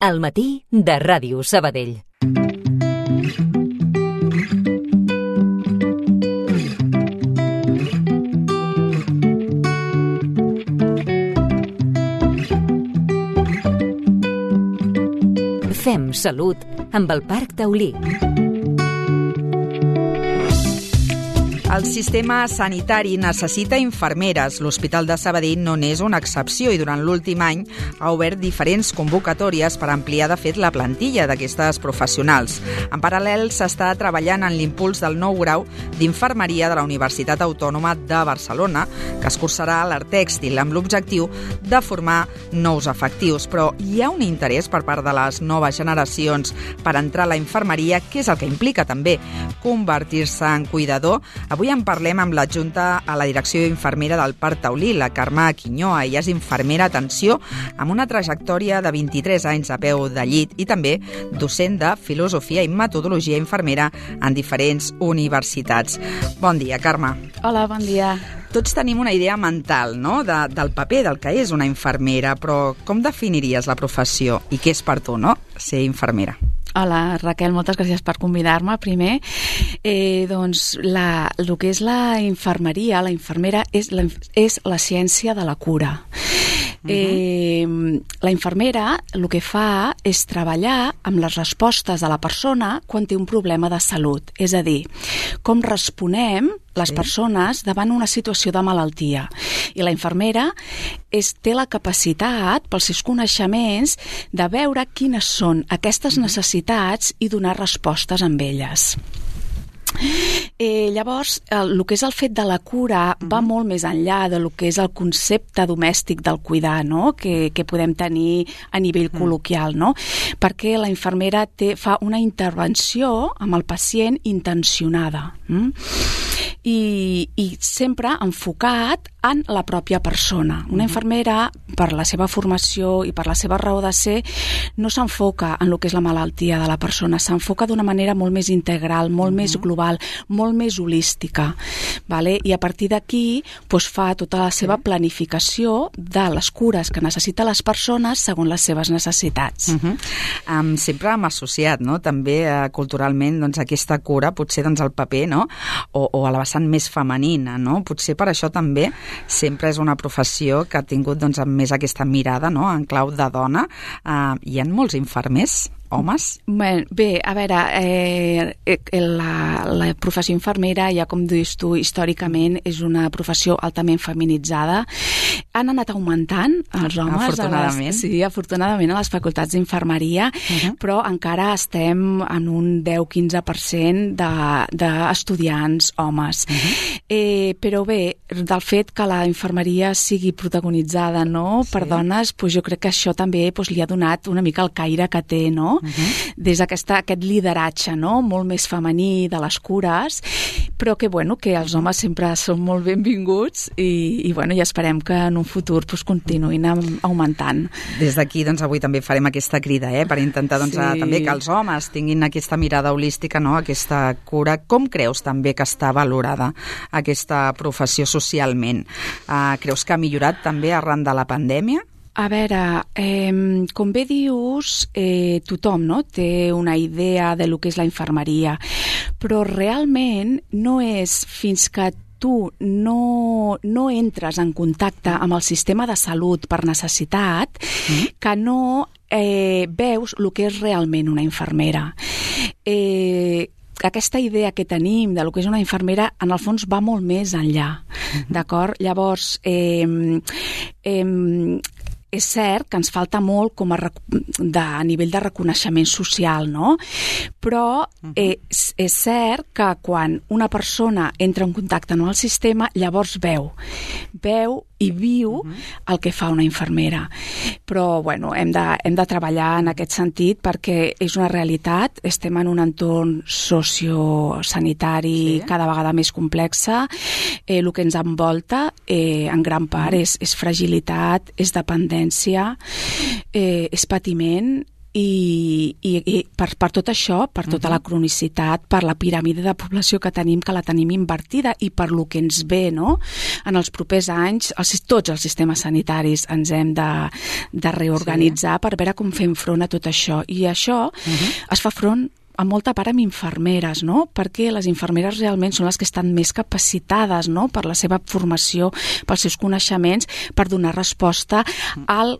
Al matí de Ràdio Sabadell. Fem salut amb el Parc Taulí. El sistema sanitari necessita infermeres. L'Hospital de Sabadell no n'és una excepció i durant l'últim any ha obert diferents convocatòries per ampliar, de fet, la plantilla d'aquestes professionals. En paral·lel, s'està treballant en l'impuls del nou grau d'Infermeria de la Universitat Autònoma de Barcelona, que es cursarà a l'Artèxtil, amb l'objectiu de formar nous efectius. Però hi ha un interès per part de les noves generacions per entrar a la infermeria, que és el que implica també convertir-se en cuidador. Avui en parlem amb l'adjunta a la direcció infermera del Parc Taulí, la Carme Quiñoa. Ella és infermera, atenció, amb una trajectòria de 23 anys a peu de llit i també docent de filosofia i metodologia infermera en diferents universitats. Bon dia, Carme. Hola, bon dia. Tots tenim una idea mental, no?, del paper del que és una infermera, però com definiries la professió i què és per tu, no?, ser infermera? Hola, Raquel, moltes gràcies per convidar-me, primer. Doncs el que és la infermeria, la infermera, és la ciència de la cura. La infermera el que fa és treballar amb les respostes de la persona quan té un problema de salut. És a dir, com responem les persones davant una situació de malaltia. I la infermera té la capacitat, pels seus coneixements, de veure quines són aquestes necessitats i donar respostes amb elles. Llavors, el que és el fet de la cura va molt més enllà de lo que és el concepte domèstic del cuidar, no?, que podem tenir a nivell col·loquial, no?, perquè la infermera fa una intervenció amb el pacient intencionada i sempre enfocat en la pròpia persona. Una infermera, per la seva formació i per la seva raó de ser, no s'enfoca en el que és la malaltia de la persona, s'enfoca d'una manera molt més integral, molt més global, molt més holística, vale? I a partir d'aquí fa tota la seva planificació de les cures que necessiten les persones segons les seves necessitats. Sempre hem associat, no?, també culturalment, doncs, aquesta cura, potser doncs, el paper, no?, o a la vessant més femenina, no? Potser per això també sempre és una professió que ha tingut doncs, més aquesta mirada, no?, en clau de dona. Hi ha molts infermers homes? Bé, a veure, la professió infermera, ja com dius tu, històricament és una professió altament feminitzada. Han anat augmentant els homes. Afortunadament. Sí, afortunadament a les facultats d'infermeria, però encara estem en un 10-15% d'estudiants homes. Però bé, del fet que la infermeria sigui protagonitzada, no?, per dones, jo crec que això també li ha donat una mica el caire que té, no?, des d'aquest lideratge, no?, molt més femení de les cures, però que els homes sempre són molt benvinguts i esperem que en un futur continuïn augmentant. Des d'aquí, avui també farem aquesta crida, per intentar també que els homes tinguin aquesta mirada holística, no?, aquesta cura. Com creus també que està valorada aquesta professió socialment? Creus que ha millorat també arran de la pandèmia? A veure, com bé dius, tothom, no?, té una idea de lo que és la infermeria, però realment no és fins que tu no entres en contacte amb el sistema de salut per necessitat que no veus el que és realment una infermera. Aquesta idea que tenim de lo que és una infermera, en el fons, va molt més enllà, d'acord? Llavors, és cert que ens falta molt a nivell de reconeixement social, no? Però és cert que quan una persona entra en contacte amb el sistema, llavors veu i viu el que fa una infermera. Però, hem de treballar en aquest sentit perquè és una realitat. Estem en un entorn sociosanitari cada vegada més complexa. El que ens envolta, en gran part, és fragilitat, és dependència, és patiment, i per tot això, per tota la cronicitat, per la piràmide de població que la tenim invertida i per lo que ens ve, no? En els propers anys, tots els sistemes sanitaris ens hem de reorganitzar per veure com fem front a tot això. I això es fa front en molta part amb infermeres, no? Perquè les infermeres realment són les que estan més capacitades, no? Per la seva formació, pels seus coneixements, per donar resposta al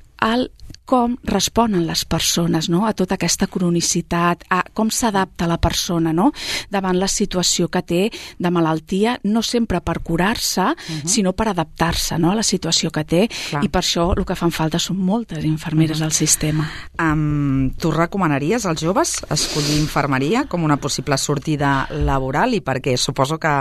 com responen les persones, no? A tota aquesta cronicitat, a com s'adapta la persona, no? Davant la situació que té de malaltia, no sempre per curar-se, sinó per adaptar-se, no? A la situació que té. Clar. I per això el que fan falta són moltes infermeres al sistema. Tu recomanaries als joves escollir infermeria com una possible sortida laboral i per què? Suposo que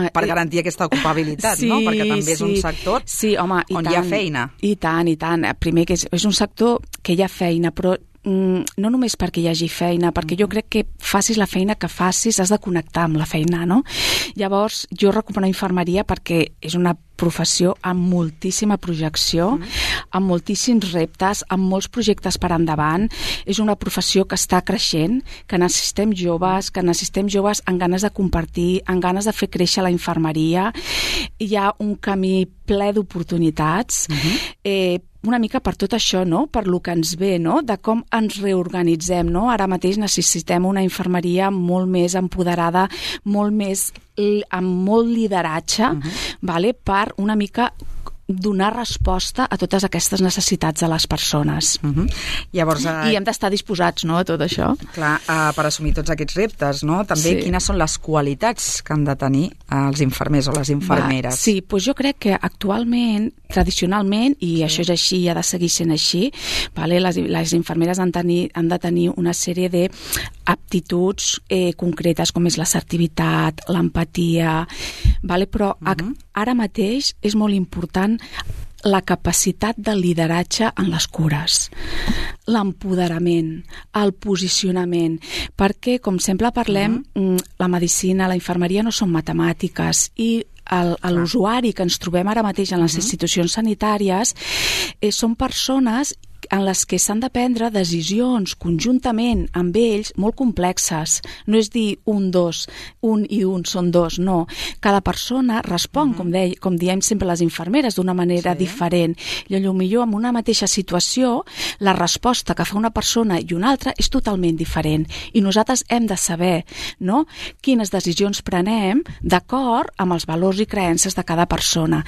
per garantir aquesta ocupabilitat, no? Perquè també és un sector on hi ha feina. I tant. Primer que és un sector que hi ha feina, però no només perquè hi hagi feina, perquè jo crec que facis la feina que facis, has de connectar amb la feina, no? Llavors, jo recomano infermeria perquè és una professió amb moltíssima projecció, amb moltíssims reptes, amb molts projectes per endavant. És una professió que està creixent, que necessitem joves amb ganes de compartir, amb ganes de fer créixer la infermeria. Hi ha un camí ple d'oportunitats, una mica per tot això, no? Per lo que ens ve, no? De com ens reorganitzem, no? Ara mateix necessitem una infermeria molt més empoderada, amb molt lideratge, vale? Per una mica donar resposta a totes aquestes necessitats de les persones. Llavors, I hem d'estar disposats, no, a tot això. Clar, per assumir tots aquests reptes, no? També quines són les qualitats que han de tenir els infermers o les infermeres? Sí, doncs jo crec que actualment, tradicionalment, i això és així i ha de seguir sent així, vale? Les infermeres han de tenir una sèrie d'aptituds concretes, com és l'assertivitat, l'empatia, vale? Però ara mateix és molt important la capacitat de lideratge en les cures, l'empoderament, el posicionament, perquè, com sempre parlem, la medicina, la infermeria no són matemàtiques i l'usuari que ens trobem ara mateix en les institucions sanitàries són persones en les que s'han de prendre decisions conjuntament amb ells molt complexes. No és dir un i un són dos, no. Cada persona respon, com diem sempre les infermeres, d'una manera diferent. I potser en una mateixa situació la resposta que fa una persona i una altra és totalment diferent. I nosaltres hem de saber, no?, quines decisions prenem d'acord amb els valors i creences de cada persona.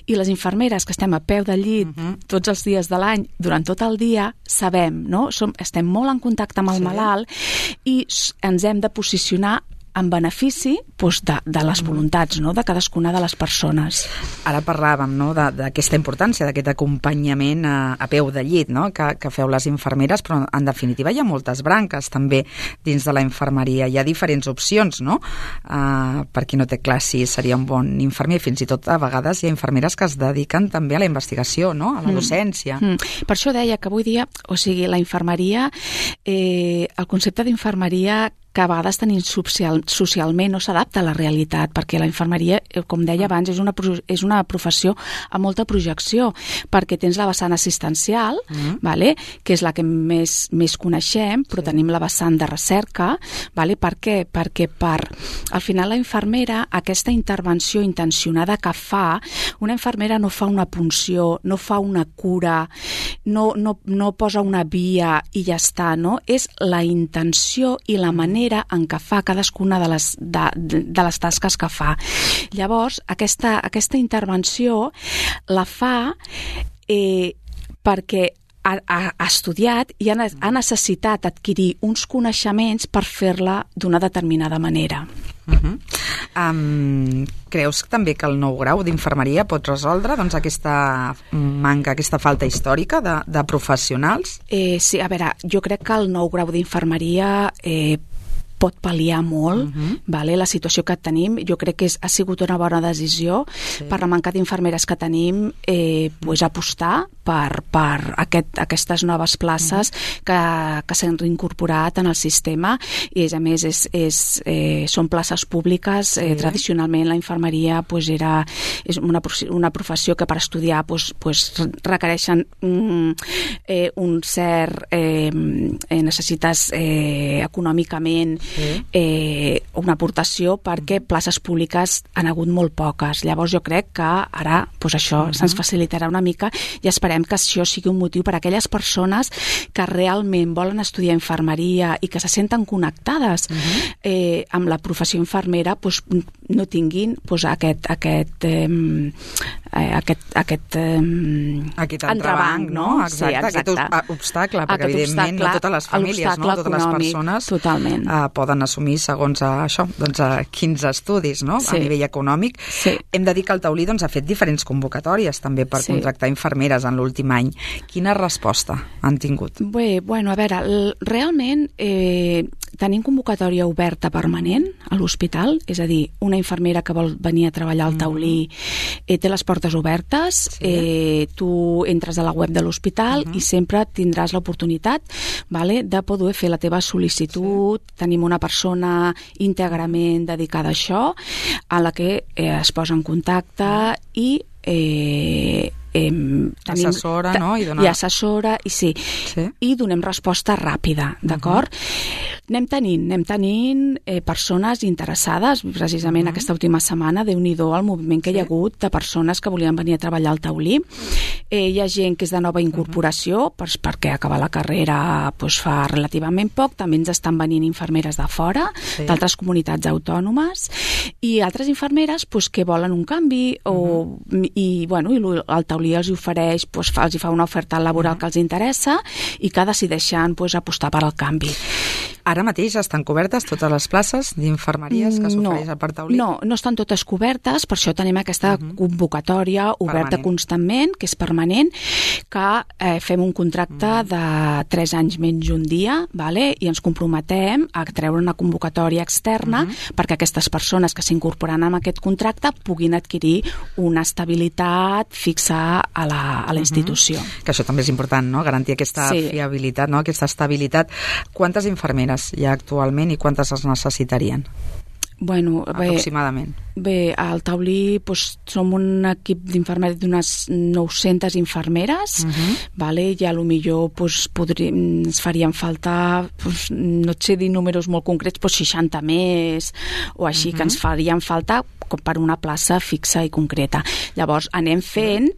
I les infermeres que estem a peu del llit tots els dies de l'any, durant tot el dia, sabem, no? Estem molt en contacte amb el malalt i ens hem de posicionar en benefici de les voluntats, no?, de cadascuna de les persones. Ara parlàvem, no?, d'aquesta importància, d'aquest acompanyament a peu de llit, no?, que feu les infermeres, però en definitiva hi ha moltes branques també dins de la infermeria. Hi ha diferents opcions, no?, per qui no té clar si seria un bon infermer. Fins i tot a vegades hi ha infermeres que es dediquen també a la investigació, no?, a la docència. Per això deia que avui dia, la infermeria, el concepte d'infermeria que a vegades tenim socialment no s'adapta a la realitat, perquè la infermeria, com deia abans, és una professió amb molta projecció, perquè tens la vessant assistencial, vale? Que és la que més coneixem, però tenim la vessant de recerca. Vale? Per què? Perquè al final la infermera, aquesta intervenció intencionada que fa, una infermera no fa una punció, no fa una cura, no posa una via i ja està, no? És la intenció i la manera en què fa cadascuna de les tasques que fa. Llavors, aquesta intervenció la fa perquè ha estudiat i ha necessitat adquirir uns coneixements per fer-la d'una determinada manera. Creus també que el nou grau d'infermeria pot resoldre aquesta manca, aquesta falta històrica de professionals? Sí, a veure, jo crec que el nou grau d'infermeria pot pal·liar molt la situació que tenim. Jo crec que ha sigut una bona decisió per la manca d'infermeres que tenim apostar per aquestes noves places que s'han reincorporat en el sistema, i a més són places públiques. Tradicionalment la infermeria és una professió que per estudiar requereixen un cert necessites econòmicament una aportació, perquè places públiques han hagut molt poques. Llavors jo crec que ara això se'ns facilitarà una mica, i esperem que això sigui un motiu per a aquelles persones que realment volen estudiar infermeria i que se senten connectades amb la professió infermera, no tinguin aquest entrebanc, no? Exacte. Aquest obstacle, perquè evidentment no totes les famílies, no totes les persones poden assumir segons això, quins estudis, no? A nivell econòmic. Hem de dir que el Taulí ha fet diferents convocatòries també per contractar infermeres en l'últim any. Quina resposta han tingut? Bé, a veure, realment tenim convocatòria oberta permanent a l'hospital, és a dir, una infermera que vol venir a treballar al Taulí té les portes obertes, tu entres a la web de l'hospital i sempre tindràs l'oportunitat de poder fer la teva sol·licitud. Tenim una persona íntegrament dedicada a això, a la que es posa en contacte i assessora, no? I assessora, i donem resposta ràpida, d'acord? Anem tenint persones interessades. Precisament aquesta última setmana, Déu-n'hi-do el moviment que hi ha hagut de persones que volien venir a treballar al Taulí. Hi ha gent que és de nova incorporació, perquè acabar la carrera fa relativament poc. També ens estan venint infermeres de fora, d'altres comunitats autònomes, i altres infermeres que volen un canvi, i el Taulí els ofereix, els fa una oferta laboral que els interessa i que decideixen apostar per al canvi. Ara mateix estan cobertes totes les places d'infermeries que s'ofereix al Parc Taulí? No estan totes cobertes, per això tenim aquesta convocatòria oberta constantment, que és permanent, que fem un contracte de 3 anys menys un dia, i ens comprometem a treure una convocatòria externa perquè aquestes persones que s'incorporen en aquest contracte puguin adquirir una estabilitat fixa a la institució. Que això també és important, no? Garantir aquesta fiabilitat, no? Aquesta estabilitat. Quantes infermeres hi ha actualment i quantes es necessitarien? Aproximadament. Bé, al Taulí som un equip d'infermeria d'unes 900 infermeres, i a lo millor ens farien falta, no et sé dir números molt concrets, 60 més o així, que ens farien falta per una plaça fixa i concreta. Llavors anem fent,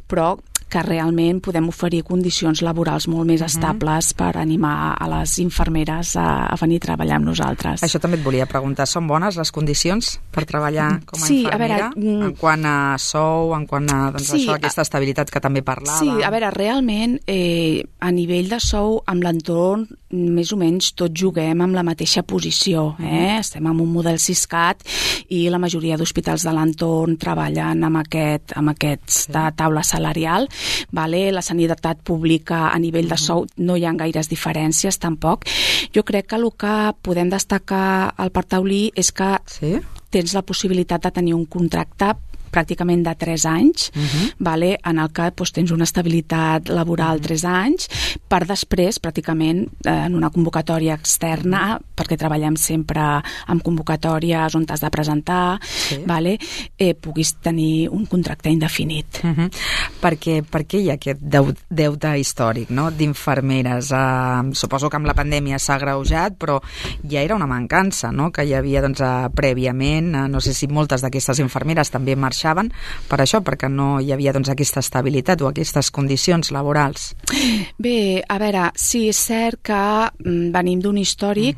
però que realment podem oferir condicions laborals molt més estables per animar a les infermeres a venir a treballar amb nosaltres. Això també et volia preguntar. Són bones les condicions per treballar com a infermera? En quant a sou, en quant a aquesta estabilitat que també parlava? Sí, a veure, realment a nivell de sou, amb l'entorn més o menys tots juguem amb la mateixa posició. Estem en un model Siscat i la majoria d'hospitals de l'entorn treballen amb aquesta taula salarial. La sanitat pública a nivell de sou no hi ha gaires diferències tampoc. Jo crec que el que podem destacar al Parc Taulí és que tens la possibilitat de tenir un contracte pràcticament de 3 anys, en el que tens una estabilitat laboral 3 anys, per després, pràcticament, en una convocatòria externa, perquè treballem sempre amb convocatòries on t'has de presentar, puguis tenir un contracte indefinit. Per què hi ha aquest deute històric d'infermeres? Suposo que amb la pandèmia s'ha agreujat, però ja era una mancança que hi havia prèviament. No sé si moltes d'aquestes infermeres també marxaven per això, perquè no hi havia aquesta estabilitat o aquestes condicions laborals. Bé, a veure, sí, és cert que venim d'un històric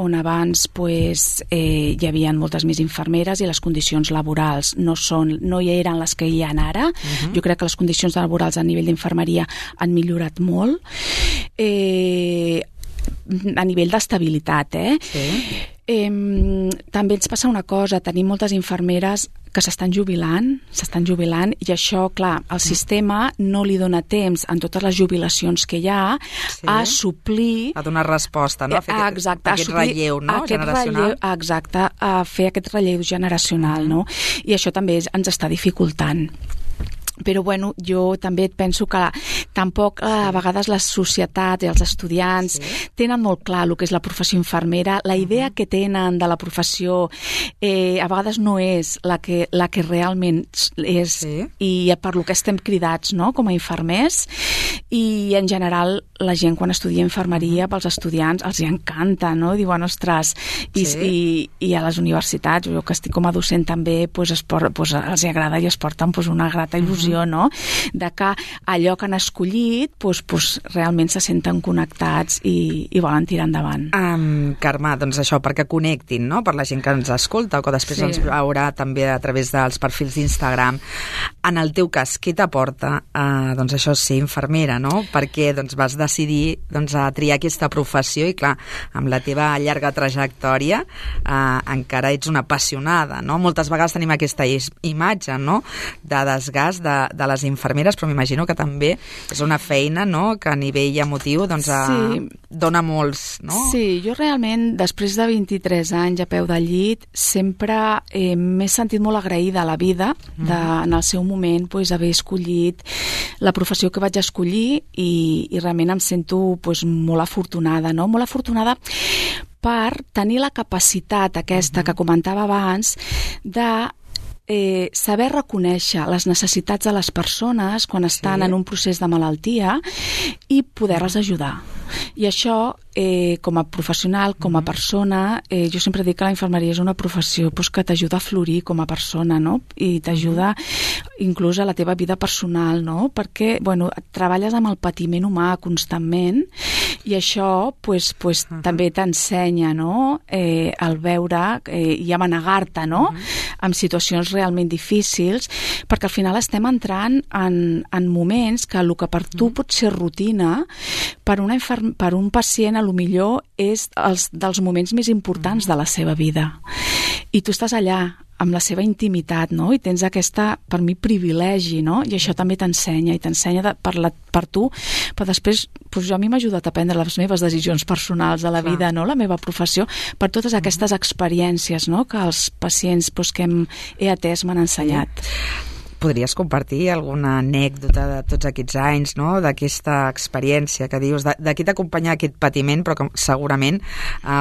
on abans hi havia moltes més infermeres i les condicions laborals no hi eren les que hi ha ara. Jo crec que les condicions laborals a nivell d'infermeria han millorat molt a nivell d'estabilitat. També ens passa una cosa, tenim moltes infermeres que s'estan jubilant, i això, clar, el sistema no li dona temps en totes les jubilacions que hi ha a suplir... A donar resposta, no? A fer aquest relleu, no? Generacional. Exacte, a fer aquest relleu generacional, no? I això també ens està dificultant. Però, bueno, jo també penso que tampoc a vegades les societats i els estudiants tenen molt clar el que és la professió infermera. La idea que tenen de la professió a vegades no és la que realment és, i per lo que estem cridats, no?, com a infermers. I, en general, la gent quan estudia infermeria, pels estudiants, els hi encanta, no? Diuen, ostres, i a les universitats, jo que estic com a docent també, els hi agrada i es porten una grata il·lusió, no?, de que allò que han escollit realment se senten connectats i volen tirar endavant. Carme, doncs això, perquè connectin, no?, per la gent que ens escolta o que després ens veurà també a través dels perfils d'Instagram. En el teu cas, què t'aporta doncs això, ser infermera, no? Perquè doncs, vas decidir a triar aquesta professió i, clar, amb la teva llarga trajectòria encara ets una apassionada, no? Moltes vegades tenim aquesta imatge, no?, de desgast de les infermeres, però m'imagino que també és una feina, no?, que a nivell emotiu dona molts, no? Sí, jo realment, després de 23 anys a peu del llit, sempre m'he sentit molt agraïda a la vida en el seu moment haver escollit la professió que vaig escollir i realment em sento molt afortunada, no? Molt afortunada per tenir la capacitat aquesta que comentava abans de saber reconèixer les necessitats de les persones quan estan en un procés de malaltia i poder-les ajudar. I això, com a professional, com a persona, jo sempre dic que la infermeria és una professió que t'ajuda a florir com a persona, no? I t'ajuda inclús a la teva vida personal, no? Perquè, treballes amb el patiment humà constantment i això també t'ensenya, no?, el veure i a manegar-te, no?, en situacions realment difícils, perquè al final estem entrant en moments que el que per tu pot ser rutina, per un pacient a lo millor és dels moments més importants de la seva vida. I tu estàs allà amb la seva intimitat, no?, i tens aquesta, per mi, privilegi, no?, i això també t'ensenya, i t'ensenya per tu, però després a mi m'ha ajudat a prendre les meves decisions personals de la vida, no?, la meva professió, per totes aquestes experiències, no?, que els pacients que he atès m'han ensenyat. Podries compartir alguna anècdota de tots aquests anys, no?, d'aquesta experiència que dius, de qui t'acompanya aquest patiment, però que segurament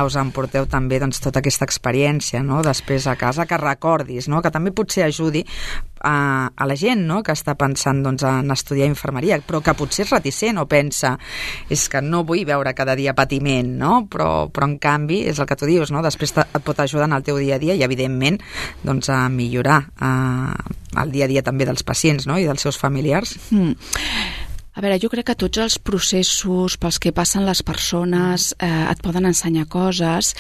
us emporteu també tota aquesta experiència, no?, després a casa, que recordis, no?, que també potser ajudi a la gent, no?, que està pensant en estudiar infermeria, però que potser és reticent o pensa, és que no vull veure cada dia patiment, no?, però en canvi és el que tu dius, no?, després et pot ajudar en el teu dia a dia i evidentment a millorar el dia a dia també dels pacients, no?, i dels seus familiars. A veure, jo crec que tots els processos pels que passen les persones et poden ensenyar coses.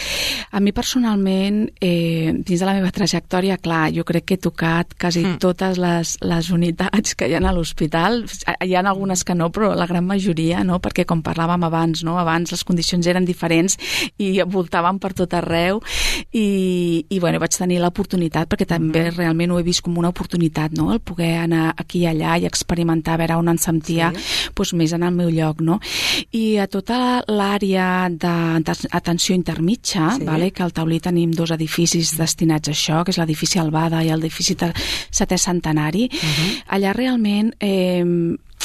A mi personalment, dins de la meva trajectòria, clar, jo crec que he tocat quasi totes les unitats que hi ha a l'hospital. Hi ha algunes que no, però la gran majoria, no? Perquè com parlàvem abans, no? Abans les condicions eren diferents i voltàvem per tot arreu i vaig tenir l'oportunitat, perquè també realment ho he vist com una oportunitat, no? El poder anar aquí i allà i experimentar, a veure on em sentia més en el meu lloc, no? I a tota l'àrea d'atenció intermitja, que al Taulí tenim 2 edificis destinats a això, que és l'edifici Albada i el edifici Setè Centenari, allà realment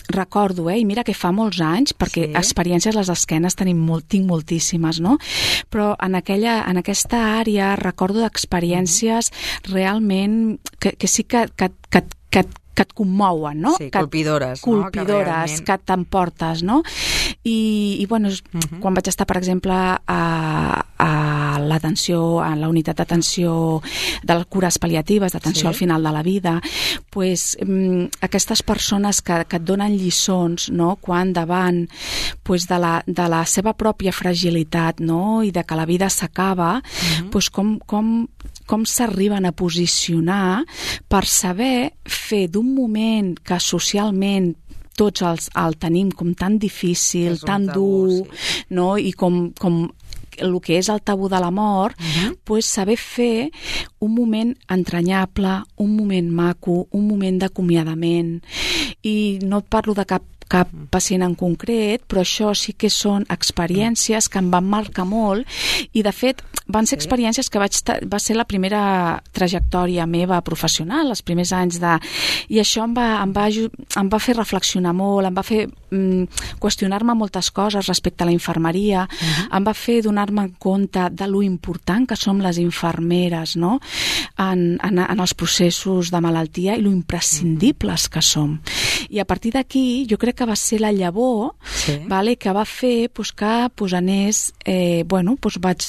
recordo, i mira que fa molts anys, perquè experiències les esquenes tinc moltíssimes, no? Però en aquesta àrea recordo d'experiències realment que sí que et commouen, no? Sí, colpidores, no? Colpidores, que t'emportes, no? I quan vaig estar, per exemple, a l'atenció, a la unitat d'atenció de les cures pal·liatives, d'atenció al final de la vida, aquestes persones que et donen lliçons, no?, quan davant de la seva pròpia fragilitat, no?, i de que la vida s'acaba, com s'arriben a posicionar per saber fer d'un moment que socialment tots el tenim com tan difícil, tan dur, no?, i com el que és el tabú de la mort, pues saber fer un moment entranyable, un moment maco, un moment d'acomiadament. I no et parlo de cap pacient en concret, però això sí que són experiències que em van marcar molt i, de fet, van ser experiències que va ser la primera trajectòria meva professional, els primers anys I això em va fer reflexionar molt, em va fer qüestionar-me moltes coses respecte a la infermeria, em va fer donar-me en compte de lo important que som les infermeres, no?, en els processos de malaltia i lo imprescindibles que som. I a partir d'aquí, jo crec que va ser la llavor que va fer que anés, vaig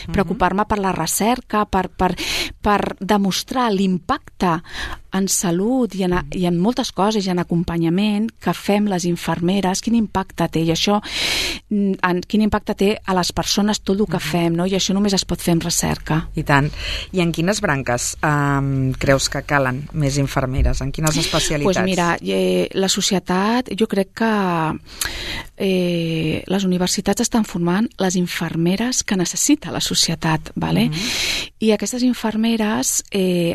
preocupar-me per la recerca, per demostrar l'impacte en salut i en moltes coses, i en acompanyament que fem les infermeres, quin impacte té, i això, quin impacte té a les persones tot el que fem, no? I això només es pot fer amb recerca. I tant. I en quines branques creus que calen més infermeres? En quines especialitats? Doncs mira, la societat, jo crec que les universitats estan formant les infermeres que necessita la societat, ¿vale? I aquestes infermeres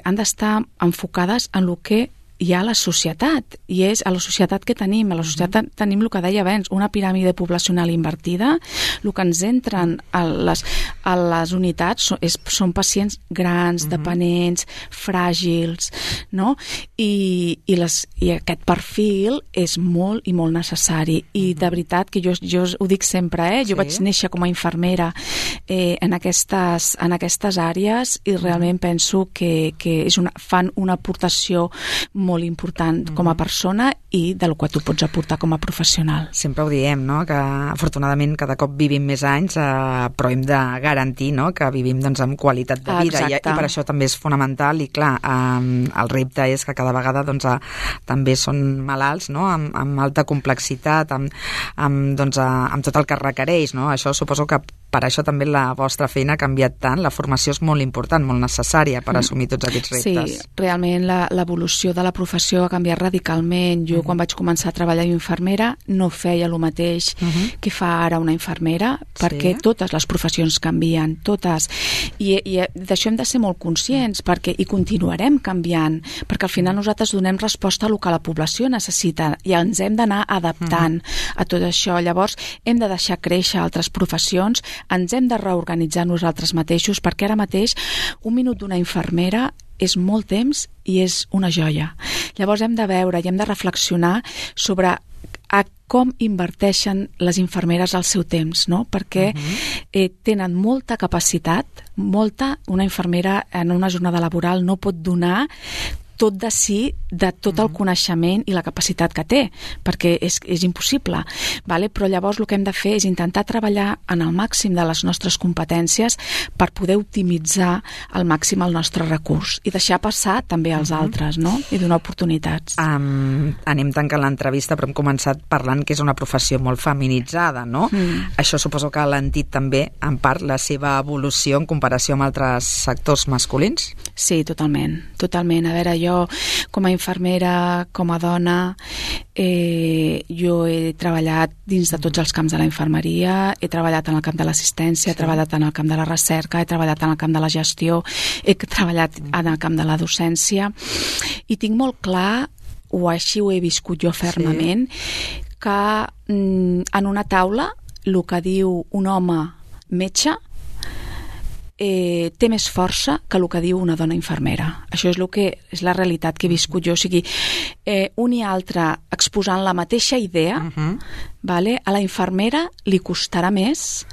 han d'estar enfocades en el que hi ha a la societat, i és a la societat que tenim. A la societat tenim el que deia abans, una piràmide poblacional invertida. El que ens entren a les unitats són pacients grans, dependents, fràgils, no? I aquest perfil és molt i molt necessari. I de veritat que jo ho dic sempre, jo vaig néixer com a infermera en aquestes àrees, i realment penso que fan una aportació molt important com a persona i del que tu pots aportar com a professional. Sempre ho diem, no?, que afortunadament cada cop vivim més anys, però hem de garantir, no?, que vivim amb qualitat de vida, i per això també és fonamental. I clar, el repte és que cada vegada també són malalts, no?, amb alta complexitat, amb tot el que requereix, no? Això suposo que per això també la vostra feina ha canviat tant, la formació és molt important, molt necessària per assumir tots aquests reptes. Sí, realment l'evolució de la professió ha canviat radicalment. Jo quan vaig començar a treballar d'infermera no feia el mateix que fa ara una infermera, perquè totes les professions canvien, totes. I d'això hem de ser molt conscients, i continuarem canviant, perquè al final nosaltres donem resposta a el que la població necessita i ens hem d'anar adaptant a tot això. Llavors hem de deixar créixer altres professions, ens hem de reorganitzar nosaltres mateixos, perquè ara mateix un minut d'una infermera és molt temps i és una joia. Llavors hem de veure i hem de reflexionar sobre com inverteixen les infermeres el seu temps, no? Perquè tenen molta capacitat, una infermera en una jornada laboral no pot donar tot de si, de tot el coneixement i la capacitat que té, perquè és impossible, ¿vale? Però llavors el que hem de fer és intentar treballar en el màxim de les nostres competències per poder optimitzar al màxim el nostre recurs i deixar passar també als altres, no? I donar oportunitats. Anem tancant l'entrevista, però hem començat parlant que és una professió molt feminitzada, no? Això suposo que ha alentit també, en part, la seva evolució en comparació amb altres sectors masculins? Sí, totalment. A veure, jo com a infermera, com a dona, jo he treballat dins de tots els camps de la infermeria, he treballat en el camp de l'assistència, he treballat en el camp de la recerca, he treballat en el camp de la gestió, he treballat en el camp de la docència, i tinc molt clar, o així ho he viscut jo fermament, que en una taula el que diu un home metge té més força que el que diu una dona infermera. Això és la realitat que he viscut jo. O sigui, un i altre exposant la mateixa idea, vale? A la infermera li costarà més,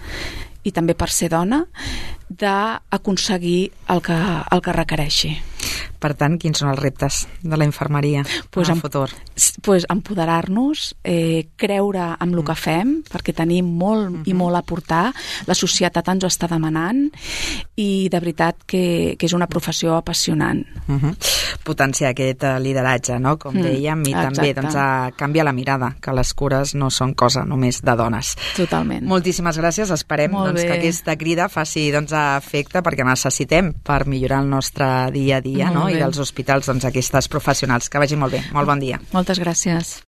i també per ser dona, d'aconseguir el que requereixi. Per tant, quins són els reptes de la infermeria en el futur? Empoderar-nos, creure en el que fem, perquè tenim molt i molt a aportar, la societat ens ho està demanant, i de veritat que és una professió apassionant. Potenciar aquest lideratge, no? Com dèiem, i també canviar la mirada, que les cures no són cosa només de dones. Totalment. Moltíssimes gràcies, esperem que aquesta crida faci efecte, perquè necessitem per millorar el nostre dia a dia, no? I dels hospitals aquestes professionals. Que vagi molt bé. Molt bon dia. Moltes gràcies.